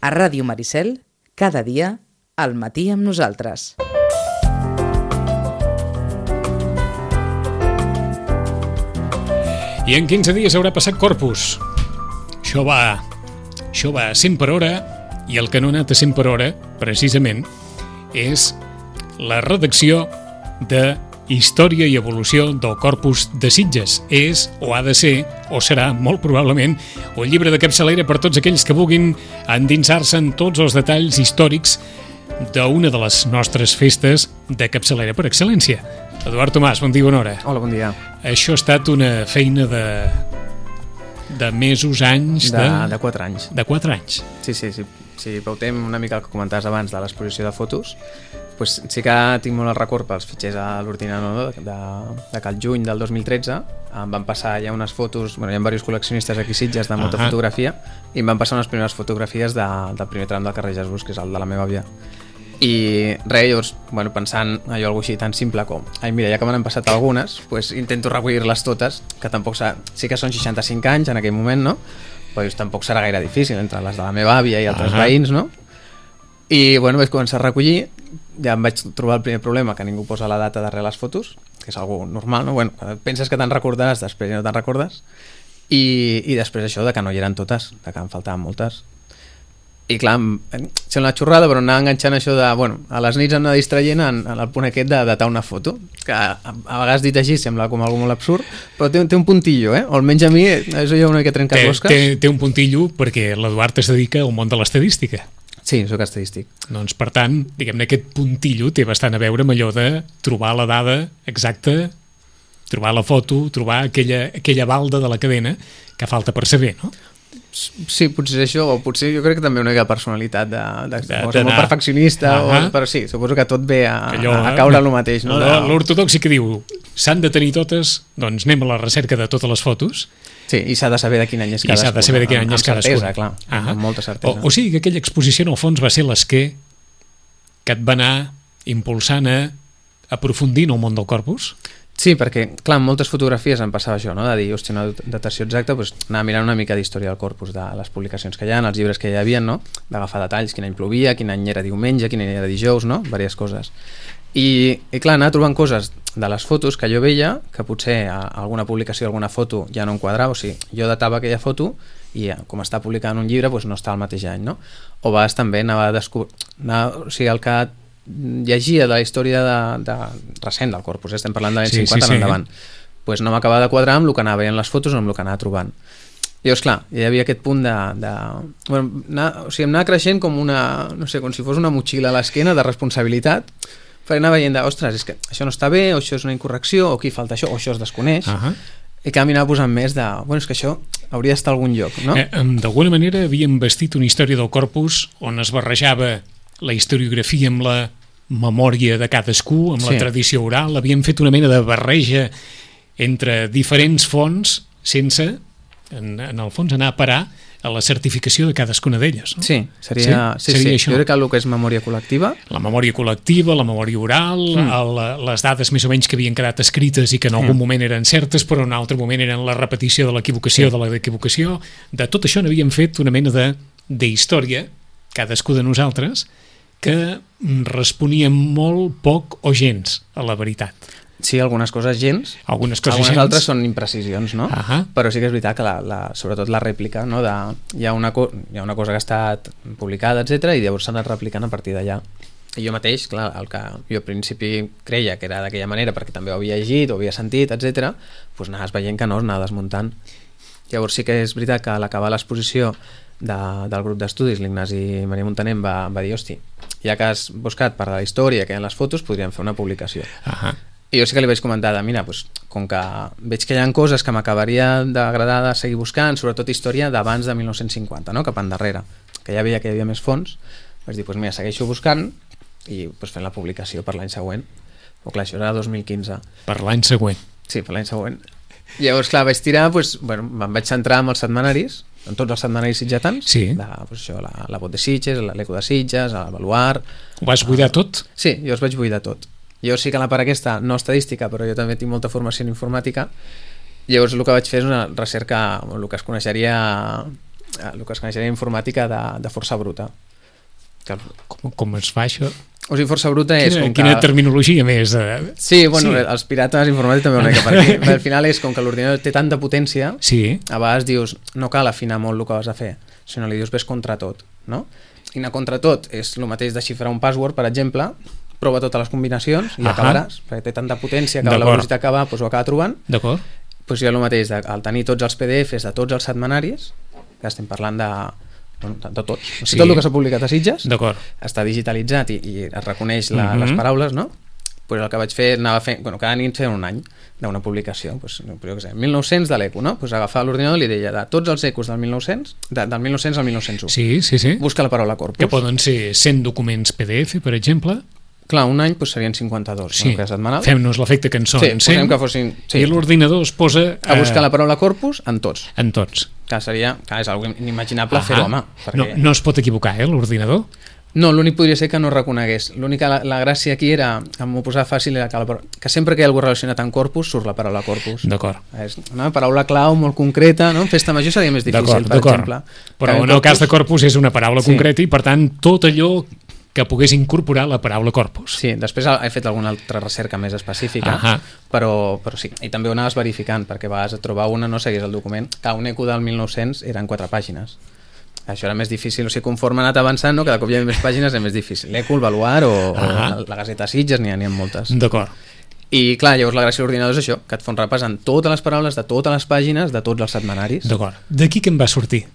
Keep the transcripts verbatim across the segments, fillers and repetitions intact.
A Ràdio Maricel, cada dia, al matí amb nosaltres. I en quinze dies haurà passat Corpus. Això va, això va a cent per hora, i el que no ha anat a cent per hora, precisament, és la redacció de Història i evolució del Corpus de Sitges. És, o ha de ser, o serà, molt probablement, un llibre de capçalera per tots aquells que vulguin endinsar-se en tots els detalls històrics d'una de les nostres festes de capçalera per excel·lència. Eduard Tomàs, bon dia, bona hora. Hola, bon dia. Això ha estat una feina de, de mesos, anys... De, de... de quatre anys. De quatre anys. Sí, sí, sí. Si pautem una mica el que comentaves abans de l'exposició de fotos, pues sí que tinc molt el record pels fitxers a l'ordinador de, de que el juny del dos mil tretze em van passar ja unes fotos, bueno, hi ha diversos col·leccionistes aquí a Sitges de molta uh -huh. fotografia, i em van passar unes primeres fotografies de, del primer tram del carrer Jesús, que és el de la meva àvia. I res, llavors, bueno, pensant allò algo així tan simple com, ai mira, ja que m'han passat algunes, pues intento recollir-les totes, que tampoc sa... sí que són seixanta-cinc anys en aquell moment, no? Però tampoc serà gaire difícil entre les de la meva àvia i altres uh -huh. veïns, no? I bueno, vaig començar a recollir, ja em vaig trobar el primer problema, que ningú posa la data darrere les fotos, que és algo normal, no? Bueno, penses que te'n recordaràs, després ja no te'n recordes, i, i després això de que no hi eren totes, de que en faltaven moltes. I clar, em sembla una xorrada, però anava enganxant això de, bueno, a les nits em anava distraient en, en el punt aquest de datar una foto, que a, a vegades dit així sembla com algo molt absurd, però té, té un puntillo, eh? O almenys a mi, això ja una mica trenca closques. Té, té un puntillo perquè l'Eduard es dedica al món de l'estadística. Sí, soc estadístic. Doncs, per tant, diguem-ne, aquest puntillo té bastant a veure amb allò de trobar la dada exacta, trobar la foto, trobar aquella, aquella balda de la cadena que falta per saber, no? Sí, potser això, o potser jo crec que també una mica personalitat de, de, de, de ser molt perfeccionista, uh -huh. o, però sí, suposo que tot ve a, allò, a, a caure el mateix, no? L'ortodoxi que diu, s'han de tenir totes, doncs anem a la recerca de totes les fotos. Sí, i s'ha de saber de quin any és cadascuna. I s'ha de saber de quin any és cadascuna. Amb certesa, clar, uh -huh. amb molta certesa. O, o sigui que aquella exposició, en el fons, va ser l'esquer que et va anar impulsant a aprofundir en el món del corpus? Sí, perquè, clar, en moltes fotografies em passava això, no? De dir, hòstia, una datació exacta, doncs anar mirant una mica d'història del corpus, de les publicacions que hi ha, els llibres que hi havia, no? D'agafar detalls, quin any plovia, quin any era diumenge, quin any era dijous, no? Diverses coses. I, i clar, anar trobant coses de les fotos que jo veia, que potser a alguna publicació, alguna foto ja no enquadrava, o sigui, jo datava aquella foto i com està publicada en un llibre, doncs no està al mateix any, no? O a vegades també anava a descobrir, o sigui, el que llegia de la història de, de recent del corpus, estem parlant de l'any sí, cinquanta sí, sí. endavant, pues no m'acabava de quadrar amb el que anava veient les fotos o amb el que anava trobant. Llavors, clar, hi havia aquest punt de... de bueno, anar, o sigui, em anava creixent com una, no sé, com si fos una motxilla a l'esquena de responsabilitat, perquè anava veient de, ostres, és que això no està bé, o això és una incorrecció, o aquí falta això, o això es desconeix, uh -huh. i que m'anava posant més de, bueno, és que això hauria d'estar a algun lloc, no? Eh, D'alguna manera havíem vestit una història del corpus on es barrejava la historiografia amb la memòria de cadascú, amb sí. la tradició oral, havíem fet una mena de barreja entre diferents fonts sense, en, en el fons, anar a parar a la certificació de cadascuna d'elles, no? Sí, seria, sí, sí, seria sí. Jo crec que el que és memòria col·lectiva... La memòria col·lectiva, la memòria oral, mm. el, les dades més o menys que havien quedat escrites i que en algun mm. moment eren certes, però en un altre moment eren la repetició de l'equivocació, sí. de l'equivocació. De tot això n'havíem fet una mena de, de història, cadascú de nosaltres, que responia molt poc o gens a la veritat. Sí, algunes coses gens, algunes, coses algunes gens. altres són imprecisions, no? Uh -huh. Però sí que és veritat que la, la, sobretot la rèplica, no? De, hi, ha una co hi ha una cosa que ha estat publicada, etcètera, i llavors s'ha anat replicant a partir d'allà. I jo mateix, clar, el que jo al principi creia que era d'aquella manera, perquè també ho havia llegit, ho havia sentit, etcètera, doncs anaves veient que no, es anava desmuntant. Llavors sí que és veritat que a l'acabar l'exposició de, del grup d'estudis, l'Ignasi Maria Montaner em va, va dir, hosti, ja que has buscat per la història que hi ha en les fotos, podríem fer una publicació. Uh -huh. I jo sí que li vaig comentar de, mira, doncs, com que veig que hi ha coses que m'acabaria d'agradar de seguir buscant, sobretot història d'abans de mil nou-cents cinquanta, no? Cap endarrere, que ja veia que hi havia més fons, vaig dir, doncs mira, segueixo buscant i doncs, fent la publicació per l'any següent. O clar, això era dos mil quinze. Per l'any següent. Sí, per l'any següent. Llavors, clar, vaig tirar, doncs, bueno, me'n vaig centrar en els setmanaris, en tots els setmanaris sitgetans, sí. de, doncs, això, la, la Vot de Sitges, l'Eco de Sitges, el Baluard... Ho vas buidar tot? Sí, jo els vaig buidar tot. Jo sí que la part aquesta, no estadística, però jo també tinc molta formació en informàtica. Llavors el que vaig fer és una recerca, el que es coneixeria el que es coneixeria informàtica de, de força bruta. Que... Com, com es fa això? O sigui, força bruta és... Quina, com quina que... terminologia més? Eh? Sí, bueno, sí. els pirates informàtics també una mica per aquí. Al final és com que l'ordinador té tanta potència, sí. a vegades dius, no cal afinar molt el que vas a fer, sinó li dius ves contra tot, no? I anar contra tot és el mateix de xifrar un password, per exemple, prova totes les combinacions i Ahà. acabaràs, perquè té tanta potència que a la velocitat que va doncs ho acaba trobant. D'acord. Doncs hi ha el mateix, de, al tenir tots els P D Fs de tots els setmanaris, que estem parlant de... Bueno, de tot. O sigui, sí. Tot el que s'ha publicat a Sitges està digitalitzat i, i es reconeix la, uh-huh. les paraules, no? Pues el que vaig fer, anava fent, bueno, cada nit feia un any d'una publicació, pues, jo què sé, mil nou-cents de l'eco, no? Pues agafava l'ordinador i li deia de tots els ecos del mil nou-cents, de, del mil nou-cents al mil nou-cents u. Sí, sí, sí. Busca la paraula corpus. Que poden ser cent documents P D F, per exemple. Clar, un any pues, serien cinquanta-dos, sí. no? Que setmanal. Fem-nos l'efecte que en són sí, cent, que fossin, sí. I l'ordinador es posa... Eh... a buscar la paraula corpus en tots. En tots. Que seria, que és algo inimaginable fer-ho, home. Perquè... No, no es pot equivocar, eh, l'ordinador? No, l'únic podria ser que no reconegués. L'única, la, la gràcia aquí era, que m'ho posava fàcil, era que, la, que sempre que hi ha algú relacionat amb corpus, surt la paraula corpus. D'acord. És una paraula clau molt concreta, no? En festa major seria més difícil, per exemple. Però en el corpus... cas de corpus és una paraula sí. concreta i, per tant, tot allò que pogués incorporar la paraula corpus. Sí, després he fet alguna altra recerca més específica, uh-huh. però, però sí. I també ho anaves verificant, perquè a vegades et trobar una no seguís el document. Que un eco del mil nou-cents eren quatre pàgines. Això era més difícil, o sigui, conforme ha anat avançant, no? Cada cop hi ha més pàgines és més difícil. L'eco, el baluar o, uh-huh. o la Gaceta Sitges, n'hi ha, n'hi ha moltes. D'acord. I clar, llavors la gràcia de l'ordinador és això, que et fa un repàs en totes les paraules de totes les pàgines de tots els setmanaris. D'acord. D'aquí què en va sortir?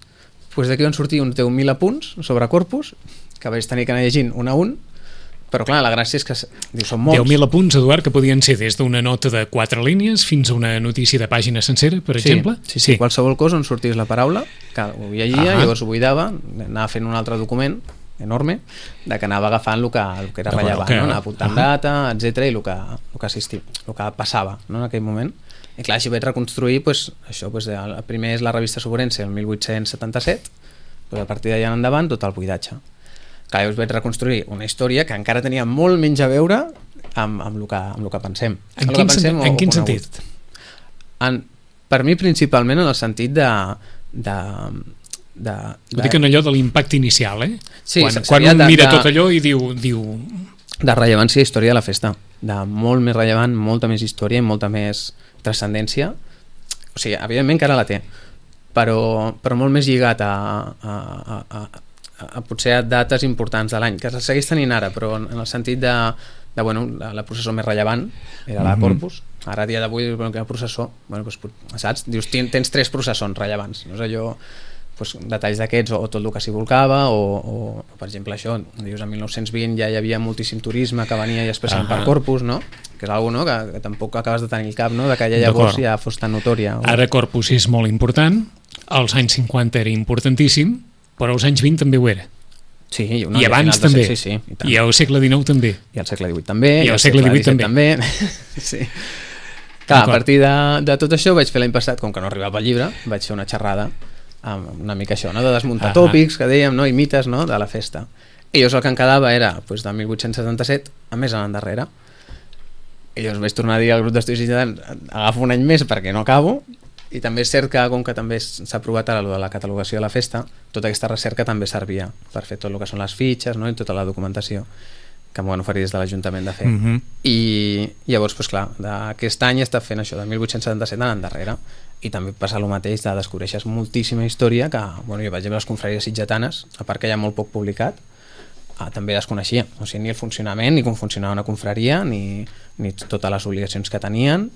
Pues d'aquí van sortir uns deu mil apunts sobre corpus, que vaig tenir que anar llegint un a un, però clar, la gràcia és que diu, són molts. deu mil apunts, Eduard, que podien ser des d'una nota de quatre línies fins a una notícia de pàgina sencera, per sí, exemple. Sí, sí, sí, qualsevol cosa on sortís la paraula, que ho llegia, ah, llavors ho buidava, anava fent un altre document enorme, de que anava agafant el que, el que era rellevant, okay. no? Anava apuntant ah, data, etcètera, i el que, el que assistia, el que passava, no? En aquell moment. I clar, així vaig reconstruir, pues, això, pues, el primer és la revista Soberense, el mil vuit-cents setanta-set, pues, a partir d'allà endavant tot el buidatge. Clar, llavors vaig reconstruir una història que encara tenia molt menys a veure amb, amb, el, que, amb el que pensem. En quin, pensem, en quin sentit? En, per mi principalment en el sentit de... de, de, de... Ho dic en allò de l'impacte inicial, eh? Sí, quan, quan un de, mira de, tot allò i diu, diu... De rellevància i història de la festa. De molt més rellevant, molta més història i molta més transcendència. O sigui, evidentment que ara la té, però, però molt més lligat a... a, a, a a potser a dates importants de l'any, que se segueix tenint ara, però en el sentit de, de bueno, la, la processó més rellevant era la Corpus. Ara, a dia d'avui, bueno, que la processó, bueno, doncs, saps? Dius, tens tres processons rellevants, no és allò, doncs, detalls d'aquests, o, o tot el que s'hi volcava, o, o, per exemple, això, dius, en mil nou-cents vint ja hi havia moltíssim turisme que venia i especialment uh -huh. per Corpus, no? Que és alguna cosa no? que, que tampoc acabes de tenir el cap, no? De que ja llavors ja fos tan notòria. O... Ara Corpus és molt important, als anys cinquanta era importantíssim, però als anys vint també ho era. Sí, no, i abans i també, sí, sí, i, i al segle dinou també. I al segle divuit també, i al segle divuit també. també. Sí. Clar, a partir de, de tot això vaig fer l'any passat, com que no arribava el llibre, vaig fer una xerrada amb una mica això, no? De desmuntar ah, tòpics, que dèiem, no? I mites, no? De la festa. I llavors el que em quedava era pues, de mil vuit-cents setanta-set a més anant darrere. I llavors vaig tornar a dir al grup d'estudis ciutadans, agafo un any més perquè no acabo. I també és cert que, com que també s'ha aprovat ara de la catalogació de la festa, tota aquesta recerca també servia per fer tot el que són les fitxes, no? I tota la documentació que m'ho van oferir des de l'Ajuntament de fer. Uh -huh. I llavors, doncs clar, aquest any he estat fent això, de mil vuit-cents setanta-set anant darrere. I també passa el mateix, de descobreixes moltíssima història que, bueno, jo vaig veure les confraries sitgetanes, a part que hi ha molt poc publicat, ah, també desconeixia, o sigui, ni el funcionament, ni com funcionava una confraria, ni, ni totes les obligacions que tenien,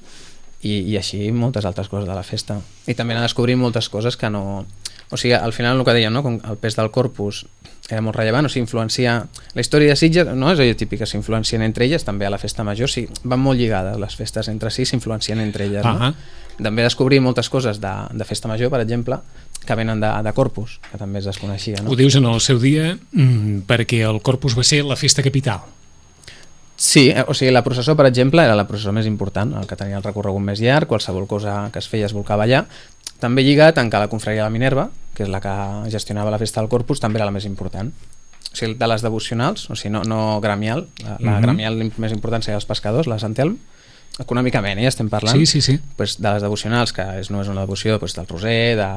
i, i així moltes altres coses de la festa. I també anar descobrint moltes coses que no... O sigui, al final el que dèiem, no? Com el pes del Corpus era molt rellevant, o sigui, influencia... La història de Sitges, no és allò típic, que s'influencien entre elles, també a la festa major, sí, van molt lligades, les festes entre si s'influencien entre elles, no? Uh-huh. També descobrir moltes coses de, de festa major, per exemple, que venen de, de Corpus, que també es desconeixia, no? Ho dius en el seu dia mm, perquè el Corpus va ser la festa capital. Sí, o sigui, la processó, per exemple, era la processó més important, el que tenia el recorregut més llarg, qualsevol cosa que es feia es volcava allà, també lligat en que la confraria de la Minerva, que és la que gestionava la festa del Corpus, també era la més important. O sigui, de les devocionals, o sigui, no, no gremial, la, la uh-huh. gremial més important seria els pescadors, la Sant Elm, econòmicament, eh, estem parlant, sí, sí, sí. Pues, de les devocionals, que és, no és una devoció pues, del Roser, de,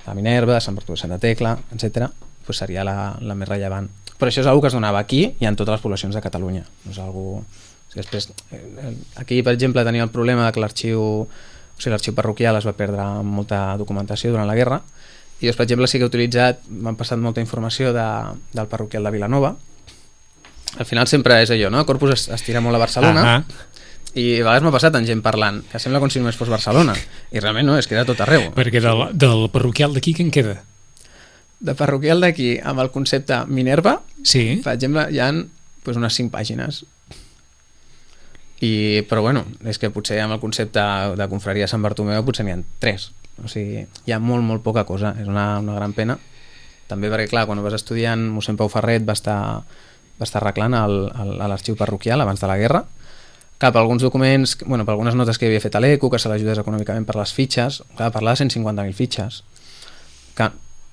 de Minerva, de Sant Bartomeu de Santa Tecla, etcètera, pues seria la, la més rellevant. Però això és una cosa que es donava aquí i en totes les poblacions de Catalunya. No és algo... Després, aquí, per exemple, tenia el problema que l'arxiu, o sigui, l'arxiu parroquial es va perdre molta documentació durant la guerra, i jo, per exemple, sí que he utilitzat, m'han passat molta informació de, del parroquial de Vilanova. Al final sempre és allò, no? Corpus es, es tira molt a Barcelona, uh -huh. i a vegades m'ha passat en gent parlant, que sembla com si només fos Barcelona, i realment no, és que era tot arreu. Perquè del, del parroquial d'aquí què en queda? De parroquial d'aquí, amb el concepte Minerva, sí. Per exemple, hi ha pues, unes cinc pàgines. I, però bueno, és que potser amb el concepte de confraria Sant Bartomeu potser n'hi ha tres. O sigui, hi ha molt, molt poca cosa. És una, una gran pena. També perquè, clar, quan vas estudiant, mossèn Pau Ferret va estar, va estar arreglant el, el, l'arxiu parroquial abans de la guerra. Clar, per alguns documents, bueno, per algunes notes que havia fet a l'E C U, que se l'ajudés econòmicament per les fitxes, clar, parlava de cent cinquanta mil fitxes. Que,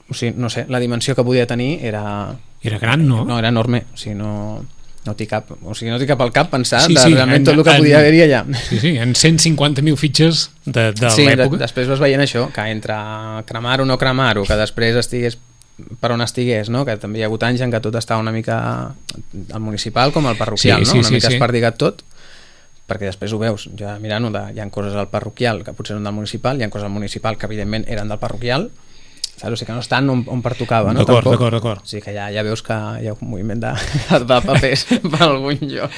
o sigui, no sé, la dimensió que podia tenir era... Era gran, no? No, era enorme. O sigui, no... No t'hi cap, o sigui, no t'hi cap al cap pensar sí, de sí, realment en, tot el que en, podia haver-hi allà. Sí, sí, en cent cinquanta mil fitxes de, de sí, l'època. De, després vas veient això, que entre cremar-ho o no cremar-ho, que després estigués per on estigués, no? Que també hi ha hagut anys en què tot estava una mica al municipal com al parroquial, sí, no? Sí, una sí, mica sí. espardigat tot, perquè després ho veus, ja mirant-ho, de, hi ha coses al parroquial que potser eren del municipal, hi ha coses al municipal que evidentment eren del parroquial, saps? O sigui que no estan on, on pertocava, no? D'acord, d'acord, d'acord. O sigui que ja, ja veus que hi ha un moviment de, de papers per algun lloc.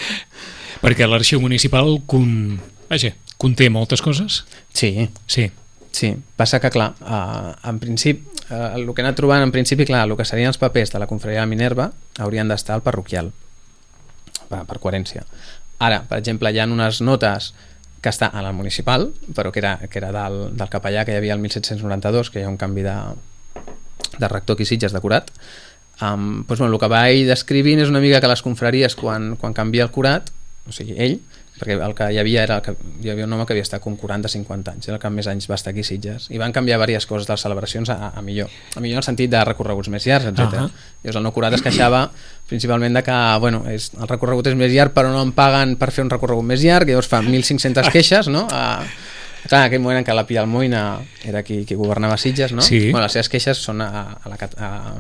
Perquè l'arxiu municipal con... Vaja, conté moltes coses? Sí. Sí. Sí, passa que, clar, eh, en principi, eh, el que he anat trobant, en principi, clar, el que serien els papers de la confraria de Minerva haurien d'estar al parroquial, per, per coherència. Ara, per exemple, hi ha unes notes que està a la municipal, però que era, que era del, del capellà que hi havia el disset noranta-dos, que hi ha un canvi de, de rector aquí Sitges de curat. Um, doncs, bueno, el que vaig descrivint és una mica que les confraries, quan, quan canvia el curat, o sigui, ell, perquè el que hi havia era el que, hi havia un home que havia estat com quaranta o cinquanta anys, era el que més anys va estar aquí a Sitges, i van canviar diverses coses de les celebracions a, a millor, a millor en el sentit de recorreguts més llargs, etcètera. Uh -huh. Llavors el nou curat es queixava principalment de que, bueno, és, el recorregut és més llarg però no em paguen per fer un recorregut més llarg, i llavors fa mil cinc-centes queixes, no? A, clar, en aquell moment en què la Pia Almoina era qui, qui governava Sitges, no? Sí. Bueno, les seves queixes són a, a la... A,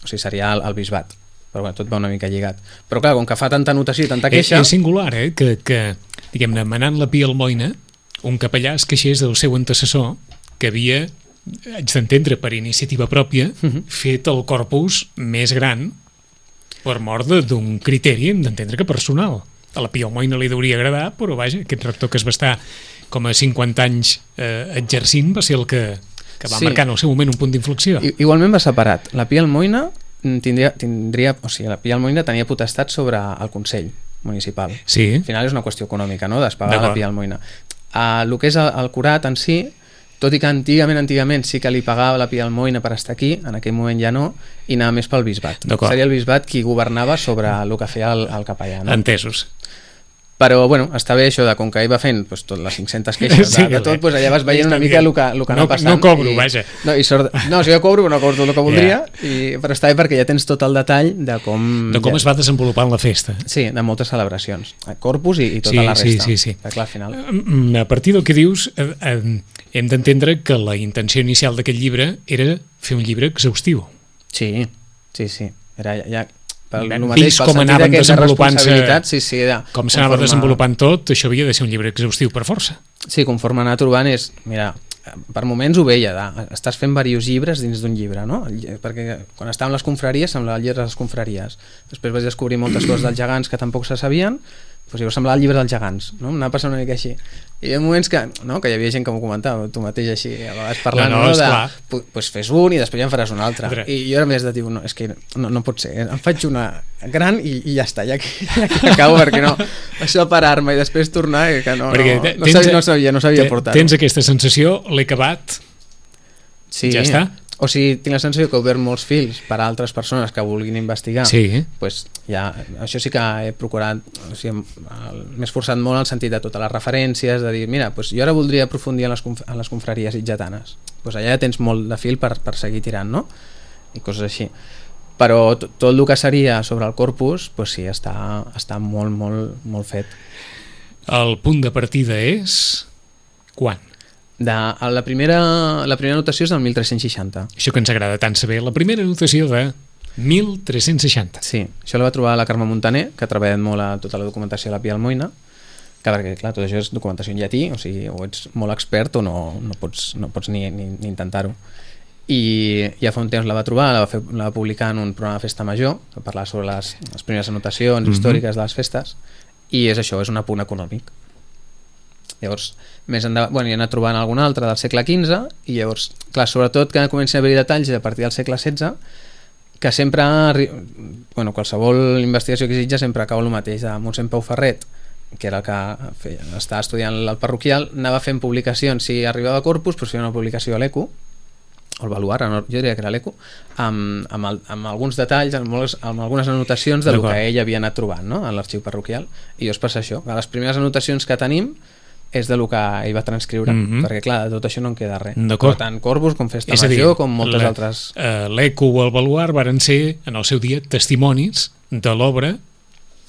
o sigui, seria el, el bisbat, però bueno, tot va una mica lligat. Però clar, com que fa tanta notació i tanta queixa... És, és singular, eh? Que, que diguem-ne, manant la Pia Almoina, un capellà es queixés del seu antecessor que havia, haig d'entendre, per iniciativa pròpia, uh-huh. fet el corpus més gran per mort d'un criteri, hem d'entendre que personal. A la Pia Almoina li hauria agradar, però vaja, aquest rector que es va estar com a cinquanta anys eh, exercint va ser el que, que va sí. marcar en el seu moment un punt d'inflexió. I, igualment va separat. La Pia Almoina tindria, tindria, o sigui, la Pia Almoina tenia potestat sobre el Consell municipal. Sí. Al final és una qüestió econòmica, no?, d'espagar la Pia Almoina. Uh, el que és el, el curat en si, tot i que antigament, antigament sí que li pagava la Pia Almoina per estar aquí, en aquell moment ja no, i anava més pel bisbat. Seria el bisbat qui governava sobre el que feia el, el capellà. No? Entesos. Però, bueno, està bé això de com que ell va fent pues, tot les cinc-centes queixes sí, de, de tot, pues, allà vas veient una mica el que, el que no, anava passant. No cobro, i, vaja. No, i sort, no, si jo cobro, no cobro tot el que voldria, yeah. i, però està bé perquè ja tens tot el detall de com... De com ja, es va desenvolupant la festa. Sí, de moltes celebracions. Corpus i, i tota sí, la resta. Sí, sí, sí. Perquè, clar, al final... A partir del que dius, eh, eh, hem d'entendre que la intenció inicial d'aquest llibre era fer un llibre exhaustiu. Sí, sí, sí. Era ja... ja pel mateix, com anaven desenvolupant-se, sí, sí, de, com s'anava conforme... desenvolupant tot, això havia de ser un llibre exhaustiu per força. Sí, conforme anar trobant és, mira, per moments ho veia, de, estàs fent diversos llibres dins d'un llibre, no? Perquè quan estàvem a les confraries semblava el llibre de les confraries, després vaig descobrir moltes coses dels gegants que tampoc se sabien, doncs llavors semblava el llibre dels gegants, no? M'anava passant una mica així. I hi ha moments que, no, que hi havia gent que m'ho comentava, tu mateix així, a vegades parlant, no, no, no de, pues fes un i després ja en faràs un altre. Adre. I jo era més de dir, no, és que no, no pot ser, em faig una gran i, i ja està, ja aquí, ja aquí acabo, perquè no, això de parar-me i després tornar, que no, no, no, no, sabia, no sabia, no sabia portar. Tens aquesta sensació, l'he acabat, sí, ja està? O sigui, tinc la sensació que he obert molts fils per a altres persones que vulguin investigar. Sí. Pues ja, això sí que he procurat, o sigui, m'he esforçat molt en el sentit de totes les referències, de dir, mira, pues jo ara voldria aprofundir en les, conf en les confraries itgetanes. Pues allà ja tens molt de fil per, per seguir tirant, no? I coses així. Però tot el que seria sobre el corpus, pues sí, està, està molt, molt, molt fet. El punt de partida és... quan? De, la, primera, la primera notació és del mil tres-cents seixanta. Això que ens agrada tant saber, la primera notació de mil tres-cents seixanta. Sí, això la va trobar la Carme Montaner, que ha treballat molt a tota la documentació de la Pia Almoina, que perquè, clar, tot això és documentació en llatí, o sigui, o ets molt expert o no, no pots, no pots ni, ni, ni intentar-ho. I ja fa un temps la va trobar, la va, fer, la va publicar en un programa de festa major, que parlava sobre les, les primeres anotacions mm-hmm. històriques de les festes, i és això, és un apunt econòmic. Llavors, més endavant, bueno, hi ha anat trobant algun altre del segle quinze, i llavors, clar, sobretot que comencin a haver-hi detalls a partir del segle setze, que sempre, bueno, qualsevol investigació que exigeix sempre acaba el mateix, de mossèn Pau Ferret, que era el que feia, estava estudiant el parroquial, anava fent publicacions, si arribava a Corpus, doncs feia una publicació a l'Eco, o el Baluar, jo diria que era l'Eco, amb, amb, el, amb alguns detalls, amb, molts, amb algunes anotacions de lo que ell havia anat trobant, no?, en l'arxiu parroquial, i llavors passa això, que les primeres anotacions que tenim és de lo que ell va transcriure, mm-hmm. perquè clar, de tot això no en queda res. Per tant, Corpus, com Festa Major, com moltes la, altres... Uh, L'Eco o el Baluar varen ser, en el seu dia, testimonis de l'obra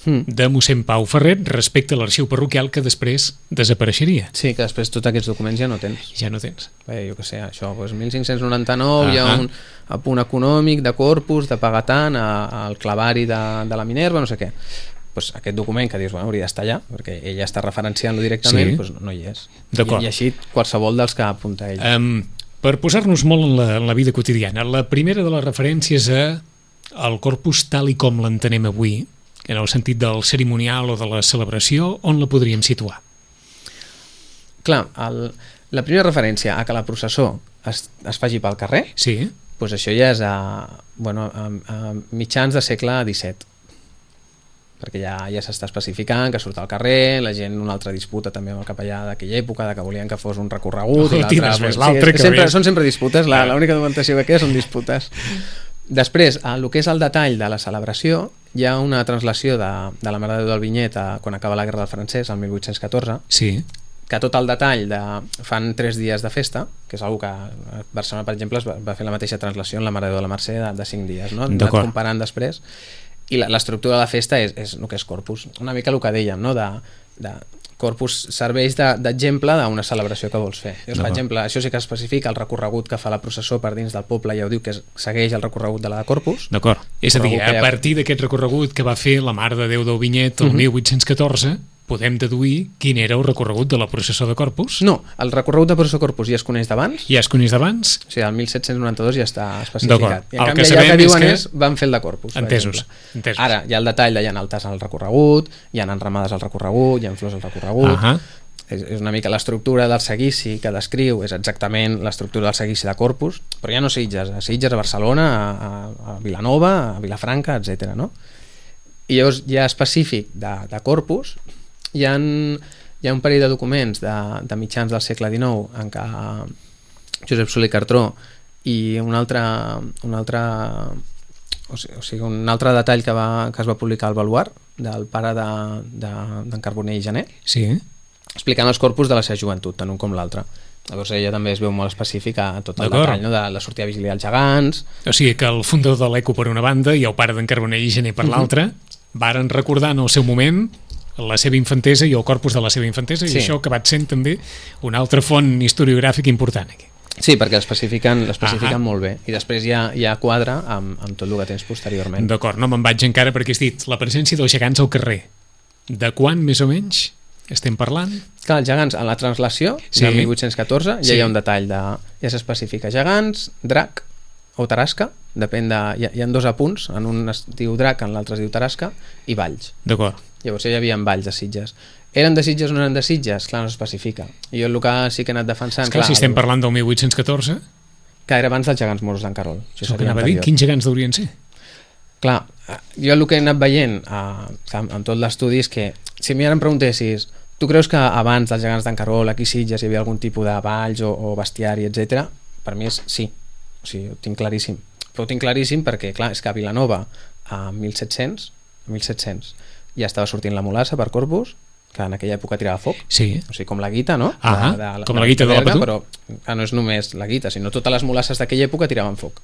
de mossèn Pau Ferret respecte a l'arxiu parroquial que després desapareixeria. Sí, que després tots aquests documents ja no tens. Ja no tens. Bé, jo què sé, això, doncs mil cinc-cents noranta-nou uh-huh. hi ha un apunt econòmic de Corpus, de pagar tant al clavari de, de la Minerva, no sé què. Pues aquest document que dius, bueno, hauria d'estar allà, perquè ella està referenciant-lo directament, sí. pues no, no hi és. I, I així qualsevol dels que apunta ell. Um, per posar-nos molt en la, en la vida quotidiana, la primera de les referències a el Corpus tal i com l'entenem avui, en el sentit del cerimonial o de la celebració, on la podríem situar? Clar, el, la primera referència a que la processó es, es faci pel carrer, sí. doncs això ja és a, bueno, a, a mitjans de segle disset, perquè ja, ja s'està especificant que surt al carrer, la gent una altra disputa també amb el capellà d'aquella època, de que volien que fos un recorregut, oh, i l'altre, pues, sí, que sempre, són sempre disputes, la, l'única documentació que queda són disputes. Després, el que és el detall de la celebració, hi ha una translació de, de la Mare de Déu del Vinyet a, quan acaba la Guerra del Francès, el mil vuit-cents catorze, sí. que tot el detall de, fan tres dies de festa, que és una que a Barcelona, per exemple, es va, va fer la mateixa translació en la Mare de Déu de la Mercè de, de cinc dies, no? Anat comparant després, i l'estructura de la festa és, és el que és Corpus, una mica el que dèiem, no? de, de Corpus serveix d'exemple de, d'una celebració que vols fer. Llavors, per exemple, això sí que especifica el recorregut que fa la processó per dins del poble, ja ho diu que es, segueix el recorregut de la de Corpus. D'acord. És a dir, a partir d'aquest recorregut que va fer la Mare de Déu del Vinyet el uh-huh. mil vuit-cents catorze, podem deduir quin era el recorregut de la processó de Corpus? No, el recorregut de processó de Corpus ja es coneix d'abans. Ja es coneix d'abans? O sigui, el mil set-cents noranta-dos ja està especificat. I en el canvi, que allà que diuen que... és van fer el de Corpus. Entesos. Entesos. Ara, hi ha el detall de hi ha altes al recorregut, hi ha enramades al recorregut, hi ha flors al recorregut... Uh-huh. És, és una mica l'estructura del seguici que descriu, és exactament l'estructura del seguici de Corpus, però ja no Sitges, a Sitges, a Barcelona, a, a Vilanova, a Vilafranca, etcètera. No? I llavors ja específic de, de Corpus hi ha, hi ha un parell de documents de, de mitjans del segle dinou en què Josep Soler i Cartró i un altre, un altre o sigui, o sigui, un altre detall que, va, que es va publicar al Baluar del pare d'en de, de, Carbonell i Janer, sí. explicant els corpus de la seva joventut, tant un com l'altre. Llavors ella també es veu molt específica a tot el detall, no? De la sortida a vigiliar als gegants. O sigui que el fundador de l'Eco per una banda i el pare d'en Carbonell i Janer per uh-huh. l'altra varen recordar en el seu moment la seva infantesa i el corpus de la seva infantesa, sí. I això ha acabat sent també una altra font historiogràfica important aquí. Sí, perquè l'especifiquen l'especifiquen ah, molt bé i després ja, ja quadra amb, amb tot el que tens posteriorment. D'acord, no me'n vaig encara perquè has dit la presència dels gegants al carrer. De quan més o menys estem parlant? Clar, els gegants, en la translació sí. del mil vuit-cents catorze ja sí. hi ha un detall de... ja s'especifica gegants, drac o tarasca, depèn de... Hi ha, hi ha dos apunts, en un es diu drac, en l'altre es diu tarasca, i valls. D'acord. Llavors ja hi havia valls de Sitges. Eren de Sitges o no eren de Sitges? Clar, no s'especifica. I jo el que sí que he anat defensant... Esclar, clar, si estem el... parlant del mil vuit-cents catorze... Que era abans dels gegants moros d'en Carol. Això és el que anava a dir, quins gegants deurien ser? Clar, jo el que he anat veient eh, amb tot l'estudi és que si mi ara em preguntessis tu creus que abans dels gegants d'en Carol aquí a Sitges hi havia algun tipus de valls o, o bestiari, etcètera? Per mi és sí, o sigui, ho tinc claríssim. Però ho tinc claríssim perquè, clar, és que a Vilanova a mil set-cents, a mil set-cents ja estava sortint la mulassa per Corpus, que en aquella època tirava foc, sí. O sigui, com la guita, no? Ah, de, de, com la guita de, de la Patú? Però que no és només la guita, sinó totes les mulasses d'aquella època tiraven foc,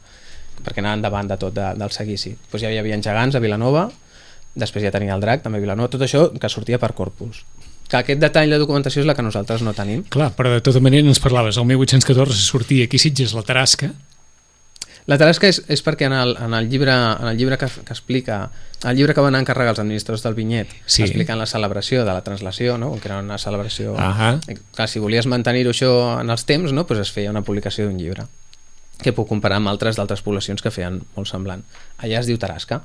perquè anaven davant de tot de, del seguici. Pues ja hi havia gegants a Vilanova, després ja tenia el drac també a Vilanova, tot això que sortia per Corpus. que aquest detall de documentació és la que nosaltres no tenim. Clar, però de tota manera ens parlaves, el mil vuit-cents catorze sortia aquí a Sitges la Tarasca. La Tarasca és, és perquè en el, en el llibre, en el llibre que, que explica, el llibre que van encarregar els administradors del vinyet, sí. explicant la celebració de la translació, no? Que era una celebració... Ahà. Clar, si volies mantenir-ho això en els temps, no? Pues es feia una publicació d'un llibre, que puc comparar amb altres d'altres poblacions que feien molt semblant. Allà es diu Tarasca.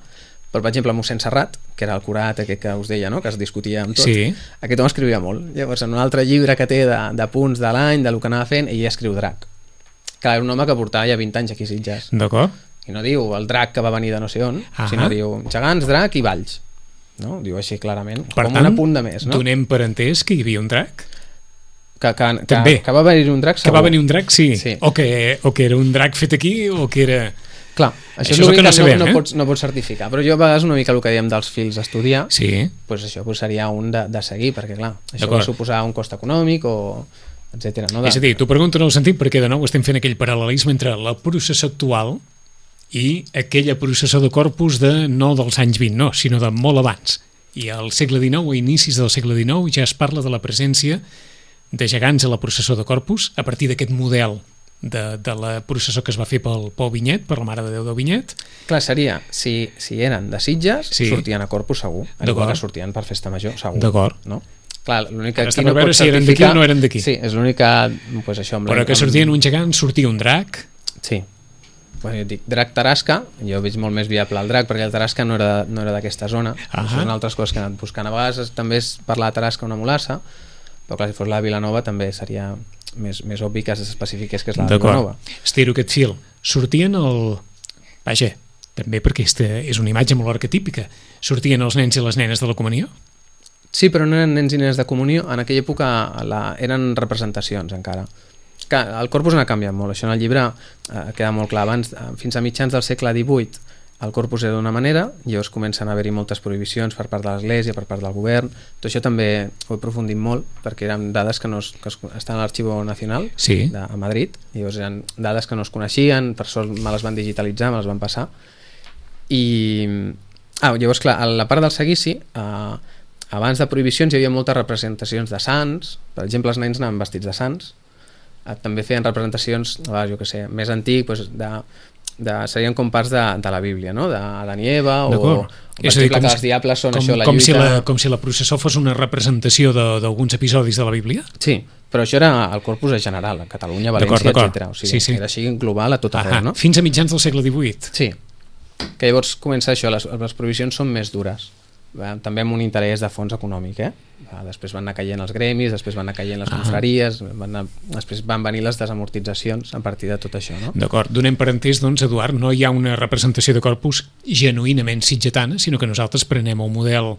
Però, per exemple, mossèn Serrat, que era el curat aquest que us deia, no? Que es discutia amb tot, sí. aquest home escrivia molt. Llavors, en un altre llibre que té de, de punts de l'any, del que anava fent, ell escriu Drac. Clar, era un home que portava ja vint anys aquí a Sitges. D'acord. I no diu el drac que va venir de no sé on, Ahà. sinó diu gegants, drac i valls. No? Diu així clarament, per com tant, un apunt de més. No? Donem per entès que hi havia un drac? Que, que, que, També. que va venir un drac segur. Que va venir un drac, sí. sí. O, que, o que era un drac fet aquí, o que era... Clar, això, això és l'únic que, no, sabem, no, no, eh? pots, no pots certificar. Però jo a vegades una mica el que dèiem dels fils d'estudiar, sí. pues això pues seria un de, de seguir, perquè clar, això va suposar un cost econòmic o... etcètera. No? De... És a dir, t'ho pregunto en el sentit perquè de nou estem fent aquell paral·lelisme entre la processó actual i aquella processó de Corpus de no dels anys vint, no, sinó de molt abans. I al segle dinou, a inicis del segle dinou, ja es parla de la presència de gegants a la processó de Corpus a partir d'aquest model de, de la processó que es va fer pel Pau Vinyet, per la Mare de Déu del Vinyet. Clar, seria, si, si eren de Sitges, sí. sortien a Corpus segur, igual que sortien per Festa Major, segur. D'acord. No? Clar, l'únic que aquí no veure si eren d'aquí o no eren d'aquí. Sí, és l'únic que... Pues això, amb però que sortien un gegant, sortia un drac. Sí. Bueno, jo dic, drac Tarasca, jo veig molt més viable el drac, perquè el Tarasca no era, no era d'aquesta zona. Són altres coses que he anat buscant. A vegades també és parlar de Tarasca una mulassa, però clar, si fos la de Vilanova també seria més, més obvi que s'especifiqués que és la de Vilanova. Estiro aquest fil. Sortien el... Vaja, també perquè aquesta és una imatge molt arquetípica. Sortien els nens i les nenes de la comunió? Sí, però no eren nens i nenes de comunió. En aquella època la... eren representacions encara. Que el corpus n'ha canviat molt. Això en el llibre eh, queda molt clar. Abans, fins a mitjans del segle divuit, el corpus era d'una manera, i llavors comencen a haver-hi moltes prohibicions per part de l'Església, per part del govern. Tot això també ho he aprofundit molt, perquè eren dades que, no es, que es, estan a l'Arxivo Nacional sí. de, a Madrid, i llavors eren dades que no es coneixien, per sort me les van digitalitzar, me les van passar. I... Ah, llavors, clar, a la part del seguici... Eh, abans de prohibicions hi havia moltes representacions de sants, per exemple els nens anaven vestits de sants, també feien representacions, jo què sé, més antic, doncs de, de, serien com parts de, de la Bíblia, no? de Adán i Eva, o, o per és exemple dir, que els diables són com, això, la com lluita... Si la, com si la processó fos una representació d'alguns episodis de la Bíblia? Sí, però això era el corpus general, a Catalunya, València, etcètera. O sigui, sí, sí. Era així global a tot arreu, no? Fins a mitjans del segle divuit. Sí, que llavors comença això, les, les prohibicions són més dures. També amb un interès de fons econòmic, eh? Després van anar caient els gremis, després van anar caient les confraries, van anar, després van venir les desamortitzacions a partir de tot això, no? D'acord, donem per entès, doncs, Eduard, no hi ha una representació de corpus genuïnament sitgetana, sinó que nosaltres prenem el model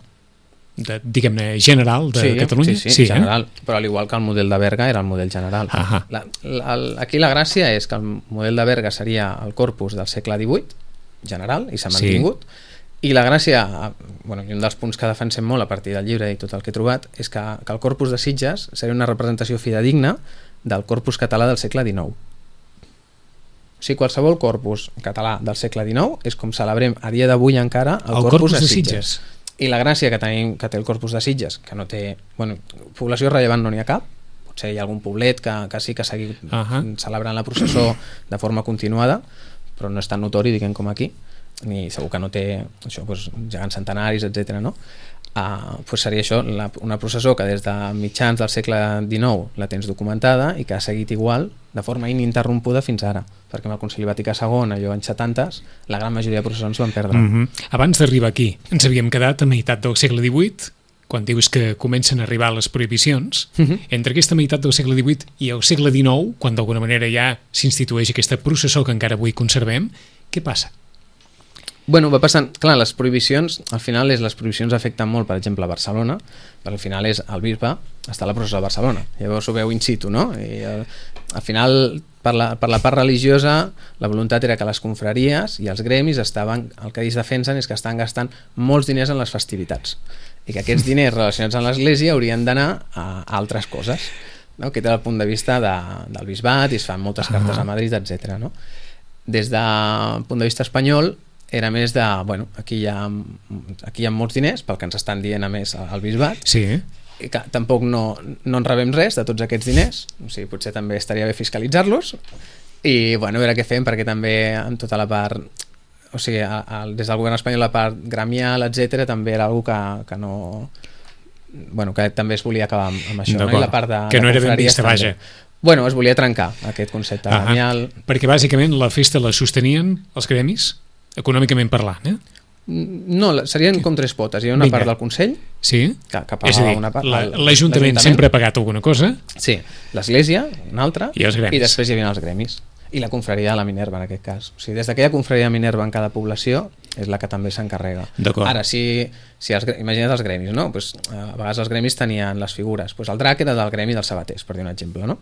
de, diguem-ne, general de sí, Catalunya. Sí, sí, sí general, eh? Però al igual que el model de Berga era el model general. La, la, aquí la gràcia és que el model de Berga seria el corpus del segle divuit, general, i s'ha mantingut, sí. I la gràcia, bueno, i un dels punts que defensem molt a partir del llibre i tot el que he trobat, és que, que el corpus de Sitges seria una representació fidedigna del corpus català del segle dinou. O sigui, qualsevol corpus català del segle dinou és com celebrem a dia d'avui encara el, el corpus, corpus de Sitges. Sitges. I la gràcia que tenim, que té el corpus de Sitges, que no té... Bueno, població rellevant no n'hi ha cap, potser hi ha algun poblet que, que sí que seguir uh -huh. celebrant la processó de forma continuada, però no és tan notori, diguem, com aquí, ni segur que no té això, doncs, gegants centenaris, etcètera. No? Uh, doncs seria això, la, una processó que des de mitjans del segle dinou la tens documentada i que ha seguit igual de forma ininterrompuda fins ara, perquè amb el Concili Vaticà segon, allò anys setantes, la gran majoria de processons van perdre. Mm -hmm. Abans d'arribar aquí, ens havíem quedat a meitat del segle divuit, quan dius que comencen a arribar les prohibicions. Mm -hmm. Entre aquesta meitat del segle divuit i el segle dinou, quan d'alguna manera ja s'institueix aquesta processó que encara avui conservem, què passa? Bueno, va passant, clar, les prohibicions, al final és, les prohibicions afecten molt, per exemple, a Barcelona, perquè al final és el bisbe, està a la processó de Barcelona, llavors ho veu in situ, no? I al, al final, per la, per la part religiosa, la voluntat era que les confraries i els gremis estaven, el que ells defensen és que estan gastant molts diners en les festivitats, i que aquests diners relacionats amb l'Església haurien d'anar a, a altres coses, no? Aquest era el punt de vista de, del bisbat, i es fan moltes cartes a Madrid, etcètera. No? Des del punt de vista espanyol, era més de, bueno, aquí hi ha, aquí hi ha molts diners, pel que ens estan dient a més al bisbat, sí. i que tampoc no, no en rebem res de tots aquests diners, o sigui, potser també estaria bé fiscalitzar-los i bueno, a veure què fem, perquè també amb tota la part, o sigui, a, a, des del govern espanyol la part gremial, etcètera, també era algo que, que no... Bueno, que també es volia acabar amb, amb això, no? I la part de, que no de era ben vista, també. Vaja. Bueno, es volia trencar aquest concepte Ah, gremial. perquè bàsicament la festa la sostenien els gremis, econòmicament parlant, eh? No, serien com tres potes. Hi ha una Vinga. part del Consell Sí? que, que És a pagava dir, una part. la- el- l'Ajuntament sempre ha pagat alguna cosa. Sí, l'Església, una altra, I els gremis. i després hi havia els gremis. I la confraria de la Minerva, en aquest cas. O sigui, des d'aquella confraria de Minerva en cada població és la que també s'encarrega. D'acord. Ara, si, si els, gre- imagina't els gremis, no? Pues, a vegades els gremis tenien les figures. Pues el drac era del gremi dels sabaters, per dir un exemple, no?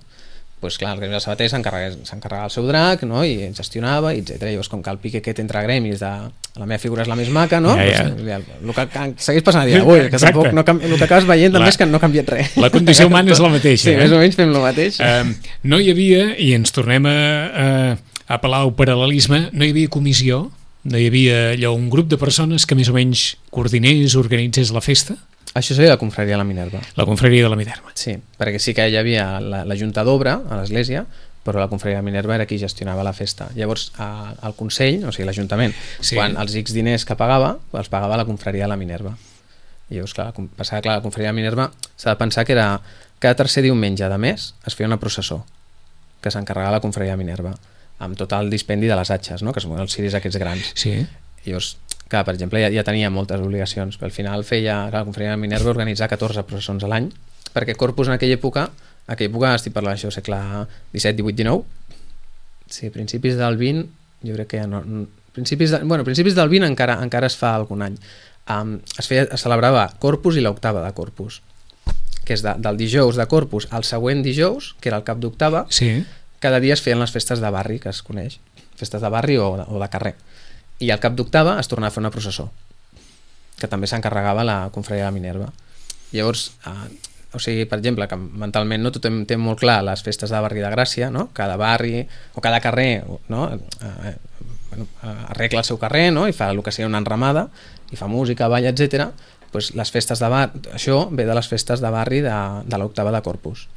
Pues clar, el gremi dels sabaters s'encarregava s'encarregava el seu drac, no? I gestionava, etcètera. Llavors, com que el pique aquest entre gremis de la meva figura és la més maca, no? Ja, ja. Pues, ja, el que, que segueix passant a dia d'avui, que Exacte. tampoc no canvi, el que acabes veient també La- és que no ha canviat res. La condició humana és la mateixa. Sí, eh? més o menys fem el mateix. Um, no hi havia, i ens tornem a, a, a apel·lar al paral·lelisme, no hi havia comissió, no hi havia allò, un grup de persones que més o menys coordinés, organitzés la festa, Això seria la confraria de la Minerva. la confraria de la Minerva. Sí, perquè sí que hi havia la, la Junta d'Obra a l'església, però la confraria de la Minerva era qui gestionava la festa. Llavors, a, al Consell, o sigui, l'Ajuntament, Sí. sí. quan els X diners que pagava, els pagava la confraria de la Minerva. I llavors, clar, com- passava, clar, la confraria de la Minerva s'ha de pensar que era cada tercer diumenge de mes es feia una processó que s'encarregava la confraria de Minerva amb tot el dispendi de les atxes, no? Que són els ciris aquests grans. Sí. I llavors, clar, per exemple, ja, ja tenia moltes obligacions, però al final feia, clar, la confraria de Minerva organitzar catorze processons a l'any, perquè Corpus en aquella època, en aquella època estic parlant això, segle disset, divuit, dinou, sí, principis del vint, jo crec que ja no... Principis, de, bueno, principis del vint encara, encara es fa algun any. Um, es, feia, es celebrava Corpus i l'octava de Corpus, que és de, del dijous de Corpus al següent dijous, que era el cap d'octava, Sí. cada dia es feien les festes de barri, que es coneix, festes de barri o de, o de carrer. I al cap d'octava es tornava a fer una processó, que també s'encarregava la confraria de la Minerva. Llavors, eh, o sigui, per exemple, que mentalment no tothom té molt clar les festes de barri de Gràcia, no? Cada barri o cada carrer, no? Eh, bueno, arregla el seu carrer, no? I fa el que seria una enramada, i fa música, ball, etcètera. Pues les festes de barri, això ve de les festes de barri de, de l'octava de Corpus.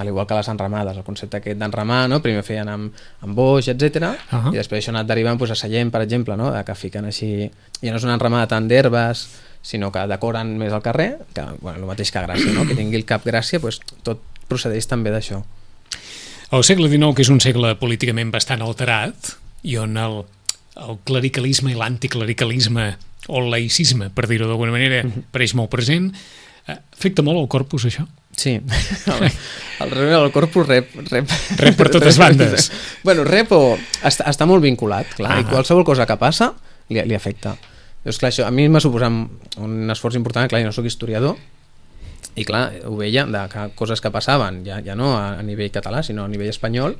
Al igual que les enramades, el concepte aquest d'enramar, no? Primer feien amb, amb boix, etcètera, Uh -huh. i després això ha anat derivant pues, a Sallent, per exemple, no? De que fiquen així... Ja no és una enramada tant d'herbes, sinó que decoren més el carrer, que, bueno, el mateix que Gràcia, no? Que tingui el cap Gràcia, pues, tot procedeix també d'això. El segle dinou, que és un segle políticament bastant alterat, i on el, el clericalisme i l'anticlericalisme, o el laïcisme, per dir-ho d'alguna manera, pareix molt present, eh, afecta molt el corpus, això? Sí, el, el, el Corpus rep, rep, Rep per totes bandes. Bueno, rep o està, està molt vinculat, clar, Ah. i qualsevol cosa que passa li, li afecta. Llavors, clar, això a mi m'ha suposat un esforç important, clar, jo no soc historiador, i clar, ho veia de que coses que passaven, ja, ja no a, a nivell català, sinó a nivell espanyol,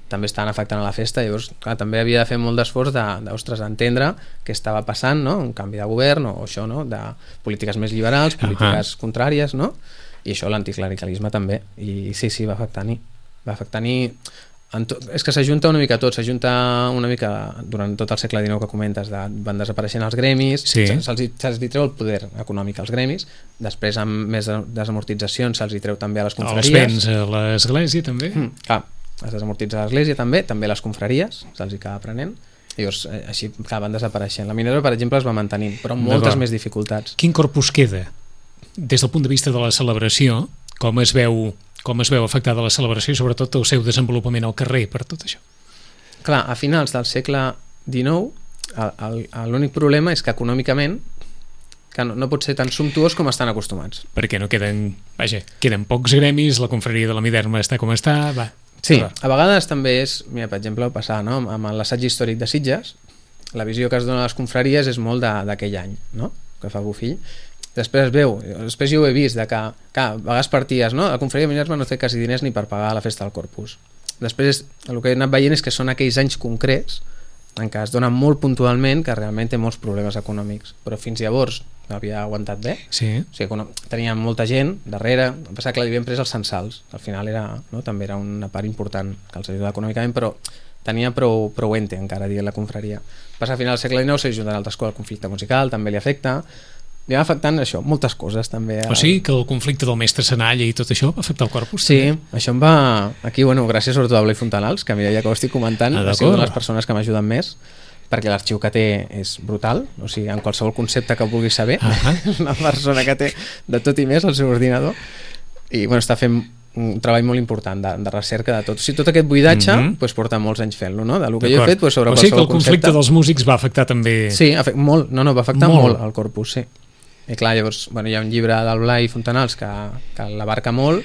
també estaven afectant a la festa. Llavors, clar, també havia de fer molt d'esforç de, d'ostres, d'entendre què estava passant, no? Un canvi de govern o, o això, no? De polítiques més liberals, polítiques uh-huh. contràries, no? I això, l'anticlericalisme també, i sí, sí, va afectar-hi va afectar-hi to... és que s'ajunta una mica tot, s'ajunta una mica durant tot el segle dinou que comentes, de... van desapareixent els gremis, sí. se'ls, se'ls hi treu el poder econòmic als gremis, després amb més desamortitzacions se'ls hi treu també a les confraries, els béns a l'església també, mm, clar, es desamortitza l'església també, també les confraries se'ls hi acaba prenent. Llavors, així clar, van desapareixent. La Minerva, per exemple, es va mantenint, però amb moltes més dificultats. Quin corpus queda? Des del punt de vista de la celebració, com es veu, com es veu afectada la celebració i sobretot el seu desenvolupament al carrer per tot això? Clar, a finals del segle dinou l'únic problema és que econòmicament que no, no pot ser tan sumptuós com estan acostumats. Perquè no queden, vaja, queden pocs gremis, la confraria de la Minerva està com està, va. Sí, a vegades també és, mira, per exemple, passar, no? amb l'assaig històric de Sitges, la visió que es dona a les confraries és molt d'aquell any, no? Que fa Bofill. Després es veu, després jo ho he vist, de que, que a vegades parties, no? La confraria de Minerva no té quasi diners ni per pagar la festa del Corpus. Després, el que he anat veient és que són aquells anys concrets en què es dona molt puntualment que realment té molts problemes econòmics, però fins llavors havia aguantat bé. Sí. O sigui, tenia molta gent darrere, em pensava que l'havien pres els censals, al final era, no? També era una part important que els ajudava econòmicament, però tenia prou, prou ente encara, dient la confraria. Passa a final del segle dinou, s'ha ajudat altres coses, el conflicte musical també li afecta, li va afectant això, moltes coses també. O sigui que el conflicte del mestre Senalla i tot això va afectar el corpus? Sí, també? això em va... Aquí, bueno, gràcies sobretot a Blai Fontanals, que mira, ja que ho estic comentant, ah, ha sigut una de les persones que m'ajuden més, perquè l'arxiu que té és brutal, o sigui, en qualsevol concepte que vulguis saber, uh-huh. és una persona que té de tot i més al seu ordinador, i bueno, està fent un treball molt important de, de recerca de tot. O sigui, tot aquest buidatge mm -hmm. pues, porta molts anys fent-lo, no? De lo que jo he fet pues, sobre o sigui que el conflicte concepte. dels músics va afectar també... Sí, afect, molt, no, no, va afectar molt, molt al corpus, sí. I clar, llavors, bueno, hi ha un llibre del Blai Fontanals que, que l'abarca molt,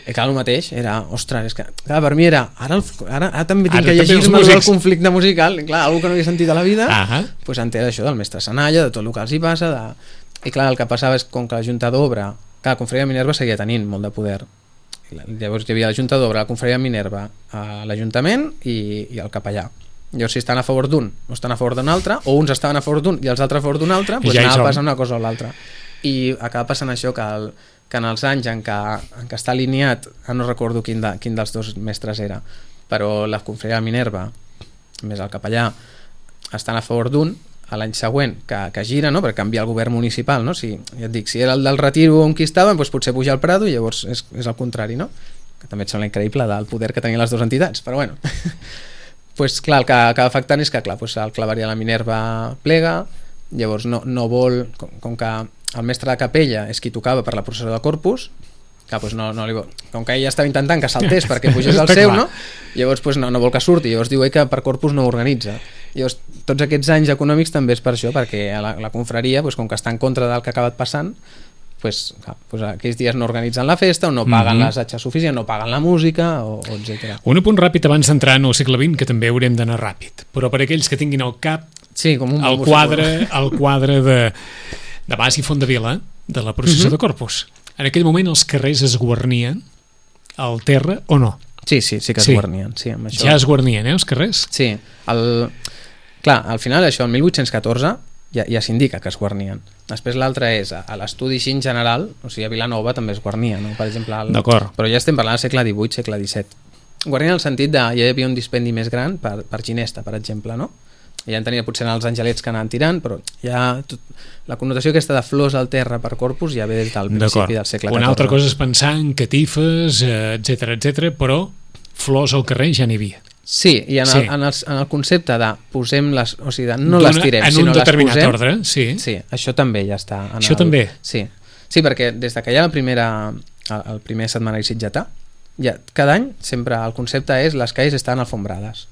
i clar, el mateix, era, ostres, és que clar, per mi era, ara, el, ara, ara també tinc ara que llegir-me el conflicte musical, i clar, algú que no havia sentit a la vida, ah pues entera això del mestre Senalla, de tot el que els hi passa, de... i clar, el que passava és com que la Junta d'Obra, clar, la Confraria de Minerva seguia tenint molt de poder. Llavors hi havia la Junta d'Obra, la Confraria de Minerva, l'Ajuntament i, i el capellà. Llavors si estan a favor d'un o estan a favor d'un altre, o uns estaven a favor d'un i els altres a favor d'un altre, doncs ja anava passant una cosa o l'altra. I acaba passant això que, el, que en els anys en què, en què està alineat, no recordo quin, de, quin dels dos mestres era, però la Confraria de Minerva més el capellà estan a favor d'un, a l'any següent que, que gira, no? Per canviar el govern municipal, no? Si, ja et dic, si era el del Retiro on qui estaven, doncs potser puja al Prado i llavors és, és el contrari, no? Que també et sembla increïble del poder que tenien les dues entitats, però bueno. Pues clar, el que acaba afectant és que clar, pues el claverí de la Minerva plega, llavors no, no vol, com, com que el mestre de capella és qui tocava per la processó de Corpus, que pues no, no li vol, com que ella estava intentant que saltés perquè pugés al seu, no? Llavors pues no, no vol que surti, llavors diu ell que per Corpus no ho organitza. Llavors tots aquests anys econòmics també és per això, perquè la, la confraria, pues, com que està en contra del que ha acabat passant, pues, clar, pues aquells dies no organitzen la festa o no paguen mm -hmm. les atxes suficients, no paguen la música o, o etcètera. Un apunt ràpid abans d'entrar en el segle vint, que també haurem d'anar ràpid, però per aquells que tinguin al cap sí, com un el quadre, el quadre de, de Bas i Fondavila de la processó mm -hmm. de Corpus. En aquell moment els carrers es guarnien al terra o no? Sí, sí, sí que es sí. guarnien. Sí, amb això. Ja es guarnien, eh, els carrers? Sí. El... Clar, al final això, el mil vuit-cents catorze, ja, ja s'indica que es guarnien. Després l'altre és, a l'estudi així en general, o sigui, a Vilanova també es guarnia, no? Per exemple, el... D'acord. Però ja estem parlant del segle divuit, segle disset. Guarnien en el sentit de, ja hi havia un dispendi més gran per, per Ginesta, per exemple, no? Ja en tenia potser els angelets que anaven tirant, però ja tot, la connotació aquesta de flors al terra per Corpus ja ve des del principi del segle catorze. Una altra cosa és pensar en catifes, etcètera, etcètera, però flors al carrer ja n'hi havia. Sí, i en, sí. El, en, el, en el concepte de posem les, o sigui, de no Dona, les tirem, en sinó un determinat les posem, ordre, sí. Sí, això també ja està. En això el, també? Sí. Sí, perquè des de que hi ha la primera, el, el primer setmanari sitgetà, ja, cada any sempre el concepte és les calles estan alfombrades.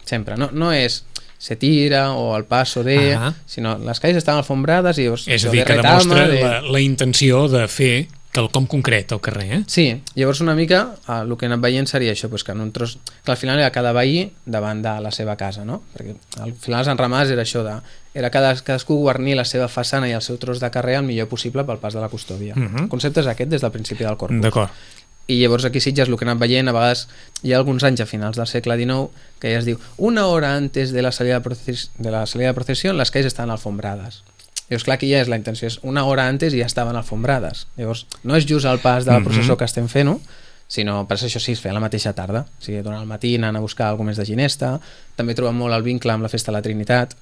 Sempre, no, no és se tira o el paso de... Uh-huh. Sinó les calles estan alfombrades i... Llavors, és a dir, que demostra de... la, la intenció de fer quelcom concret al carrer, eh? Sí, llavors una mica eh, el que he anat veient seria això, pues que en un tros... que al final era cada veí davant de la seva casa, no? Perquè al final les enramades era això de... era cada, cadascú guarnir la seva façana i el seu tros de carrer el millor possible pel pas de la custòdia. Uh-huh. El concepte és aquest des del principi del Corpus. D'acord. I llavors aquí Sitges el que he anat veient, a vegades hi ha alguns anys a finals del segle dinou que ja es diu, una hora antes de la salida de, proces de la salida de procesión les calles estan alfombrades. Llavors clar, aquí ja és la intenció, és una hora antes i ja estaven alfombrades. Llavors no és just el pas de la processó que estem fent, no? Sinó per això sí, es feia la mateixa tarda, o sigui, durant el matí anant a buscar alguna més de Ginesta. També trobem molt el vincle amb la festa de la Trinitat.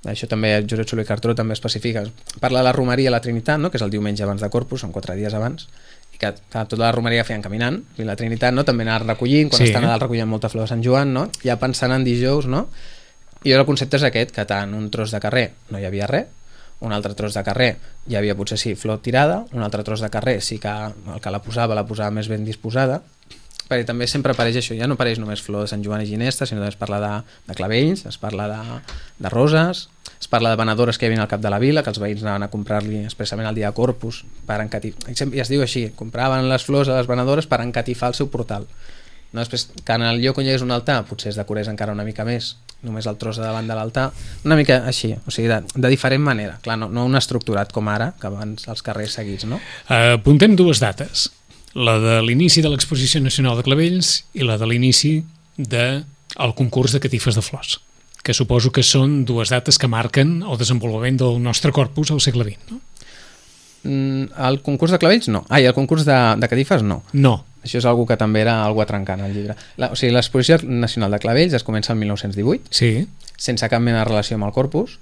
Això també Josep Soler i Cartró també especifica, parla de la romeria a la Trinitat, no? Que és el diumenge abans de Corpus, són quatre dies abans, i que, que tota la romeria feien caminant, i la Trinitat, no? També anaven recollint, quan sí. estan a dalt recollint molta flor de Sant Joan, no? Ja pensant en dijous, no? I el concepte és aquest, que tant un tros de carrer no hi havia res, un altre tros de carrer hi havia potser sí flor tirada, un altre tros de carrer sí que el que la posava la posava més ben disposada, perquè també sempre apareix això, ja no apareix només flor de Sant Joan i Ginesta, sinó que es parla de, de clavells, es parla de, de roses, es parla de venedores que hi havia al cap de la vila, que els veïns anaven a comprar-li expressament el dia de Corpus per encatifar, i es diu així, compraven les flors a les venedores per encatifar el seu portal. No, després, que en el lloc on hi hagués un altar potser es decorés encara una mica més, només el tros de davant de l'altar, una mica així, o sigui, de, de diferent manera, clar, no, no un estructurat com ara, que abans els carrers seguits, no? Uh, apuntem dues dates, la de l'inici de l'Exposició Nacional de Clavells i la de l'inici del concurs de catifes de flors, que suposo que són dues dates que marquen el desenvolupament del nostre corpus al segle vint, no? Mm, el concurs de clavells no. Ah, i el concurs de, de catifes no. No. Això és algo que també era algo a trencar en el llibre. La, o sigui, l'Exposició Nacional de Clavells es comença el mil nou-cents divuit, sí. sense cap mena de relació amb el corpus,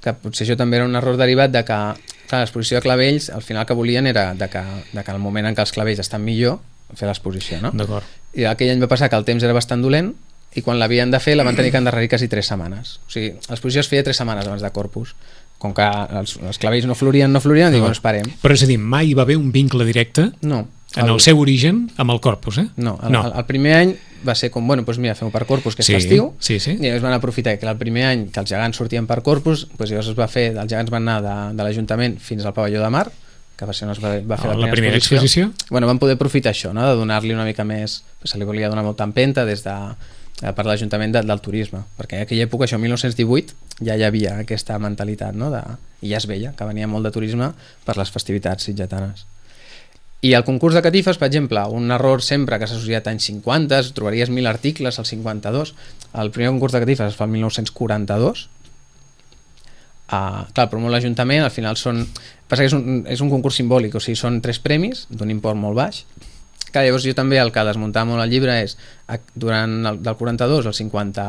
que potser això també era un error derivat de que, clar, l'exposició de clavells, al final que volien era de que, de que al moment en què els clavells estan millor, fer l'exposició, no? D'acord. I aquell any va passar que el temps era bastant dolent i quan l'havien de fer la van tenir que endarrerir quasi tres setmanes. O sigui, l'exposició es feia tres setmanes abans de Corpus. Com que els, els clavells no florien, no florien, no. Diuen, esperem. Però és a dir, mai va haver un vincle directe no, en el, el seu origen amb el Corpus, eh? No, el, no. El, el primer any va ser com, bueno, doncs mira, fem-ho per Corpus, que és sí, festiu, sí, sí. i llavors van aprofitar que el primer any que els gegants sortien per Corpus, doncs llavors es va fer, els gegants van anar de, de l'Ajuntament fins al pavelló de Mar, que va ser on es va, va fer oh, la, la primera exposició. exposició. Bueno, van poder aprofitar això, no? De donar-li una mica més, se li volia donar molta empenta des de per l'Ajuntament de, del turisme, perquè en aquella època, això, mil nou-cents divuit, ja hi havia aquesta mentalitat, no? De, i ja es veia que venia molt de turisme per les festivitats sitgetanes. I el concurs de catifes, per exemple, un error sempre que s'ha associat als anys cinquanta, trobaries mil articles al cinquanta-dos, el primer concurs de catifes es fa el mil nou-cents quaranta-dos, uh, clar, però molt l'Ajuntament, al final són... Passa que és un, és un concurs simbòlic, o sigui, són tres premis d'un import molt baix. Clar, llavors jo també el que desmuntava molt el llibre és durant el, del quaranta-dos al cinquanta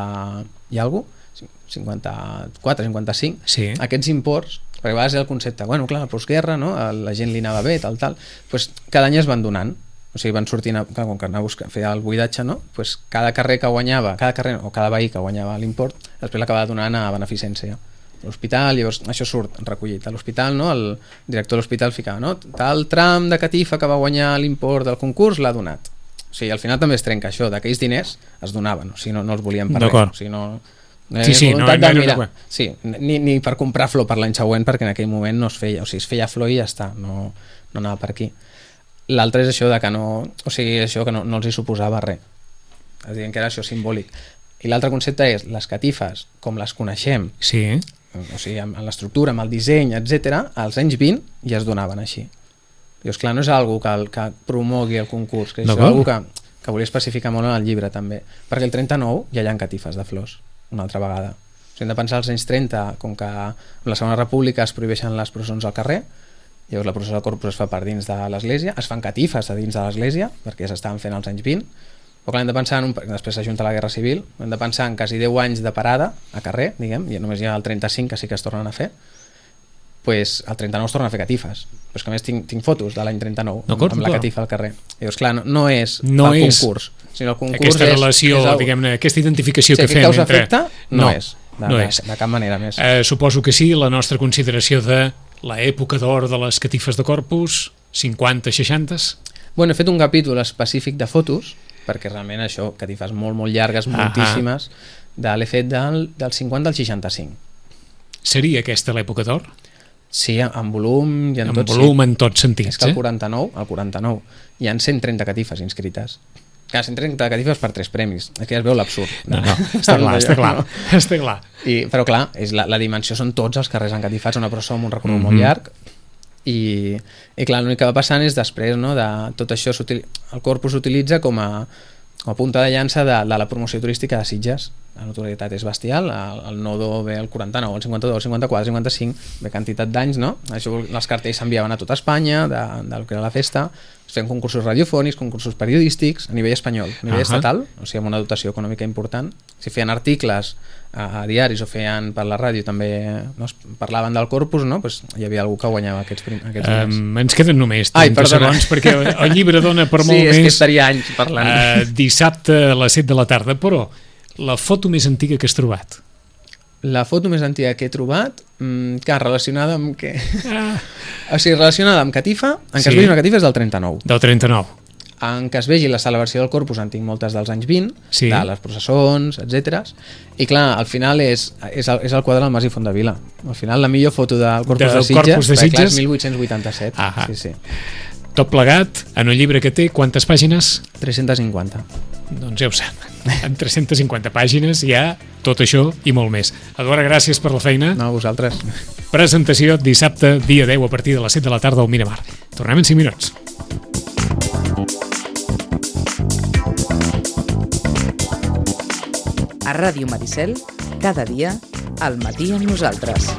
i alguna cosa, cinquanta-quatre, cinquanta-cinc, sí. Aquests imports, perquè a vegades és el concepte, bueno, clar, la postguerra, no? La gent li anava bé, tal, tal, pues cada any es van donant, o sigui, van sortint, clar, com que anava a buscar, feia el buidatge, no? Pues cada carrer que guanyava, cada carrer o cada veí que guanyava l'import, després l'acabava donant a beneficència. L'hospital, llavors això surt recollit a l'hospital, no? El director de l'hospital ficava, no? Tal tram de catifa que va guanyar l'import del concurs l'ha donat. O sigui, al final també es trenca això, d'aquells diners es donaven, o sigui, no, no els volien per res, o sigui, no, no sí, sí, no, no, no, no, no. Sí, ni, ni per comprar flor per l'any següent, perquè en aquell moment no es feia, o sigui, es feia flor i ja està, no, no anava per aquí. L'altre és això de que no, o sigui, això que no, no els hi suposava res, es diuen que era això simbòlic. I l'altre concepte és les catifes, com les coneixem, sí. O sigui, amb l'estructura, amb el disseny, etcètera, als anys vint ja es donaven així. Llavors, clar, no és algo que, el, que promogui el concurs, que és algo que, que volia especificar molt en el llibre també, perquè el trenta-nou ja hi ha catifes de flors, una altra vegada. O sigui, hem de pensar als anys trenta, com que en la Segona República es prohibeixen les processons al carrer, llavors la processó del Corpus es fa per dins de l'església, es fan catifes a dins de l'església, perquè ja s'estaven fent als anys vint, però clar, hem de pensar en un, després s'ajunta la Guerra Civil, hem de pensar en quasi deu anys de parada a carrer, diguem, i només hi ha el trenta-cinc que sí que es tornen a fer, pues el trenta-nou es tornen a fer catifes, però és que a més tinc, tinc fotos de l'any trenta-nou amb, amb la catifa al carrer. Llavors clar, no, no és no el és concurs, sinó el concurs aquesta és, relació, és el... diguem-ne, aquesta identificació sí, que fem entre... Efecte, no, no és, de, no de, és. de cap manera més. Eh, suposo que sí, la nostra consideració de l'època d'or de les catifes de Corpus, cinquanta, seixanta... Bueno, he fet un capítol específic de fotos, perquè realment això, catifes molt, molt llargues, moltíssimes, de l'he fet del, del cinquanta al seixanta-cinc. Seria aquesta l'època d'or? Sí, en volum i en, en tot, volum, sí. En tots sentits. És que el eh? quaranta-nou, el quaranta-nou, hi ha cent trenta catifes inscrites. Clar, cent trenta catifes per tres premis. Aquí es veu l'absurd. No, no, està clar, està clar. No? Està clar. I, però clar, és la, la dimensió són tots els carrers encatifats, una processó amb un recorregut mm-hmm. molt llarg, i, i clar, l'únic que va passant és després, no, de tot això el Corpus s'utilitza com a, com a punta de llança de, de la promoció turística de Sitges. La notorietat és bestial, el, el nodo ve al quaranta-nou, el cinquanta-dos, el cinquanta-quatre, el cinquanta-cinc, ve quantitat d'anys, no? Això, els cartells s'enviaven a tota Espanya de, del que era la festa, es feien concursos radiofònics, concursos periodístics a nivell espanyol, a nivell uh -huh. estatal, o sigui, amb una dotació econòmica important. Si feien articles a, a diaris o feien per la ràdio també, no, parlaven del Corpus, no? Pues hi havia algú que guanyava aquests, prim, aquests um, ens queden només trenta Ai, segons perquè el llibre dona per molt sí, més. Sí, és que estaria anys parlant. Uh, dissabte a les set de la tarda, però la foto més antiga que has trobat? La foto més antiga que he trobat, mmm, que relacionada amb què? Ah. O sigui, relacionada amb catifa, en què sí. Es vegi una catifa és del trenta-nou. Del trenta-nou. En què es vegi la celebració del Corpus en tinc moltes dels anys vint, sí. De les processons, etcètera. I clar, al final és, és, el, és el quadre del Mas i Fondavila. Al final la millor foto del Corpus del de Sitges, Corpus de Sitges. Clar, és mil vuit-cents vuitanta-set. Ah, sí, sí. Tot plegat, en un llibre que té quantes pàgines? tres-centes cinquanta. Doncs ja ho sap, en tres-centes cinquanta pàgines hi ha tot això i molt més. Eduard, gràcies per la feina. No, a vosaltres. Presentació dissabte, dia deu, a partir de les set de la tarda al Miramar. Tornem en cinc minuts. A Ràdio Maricel, cada dia, al matí amb nosaltres.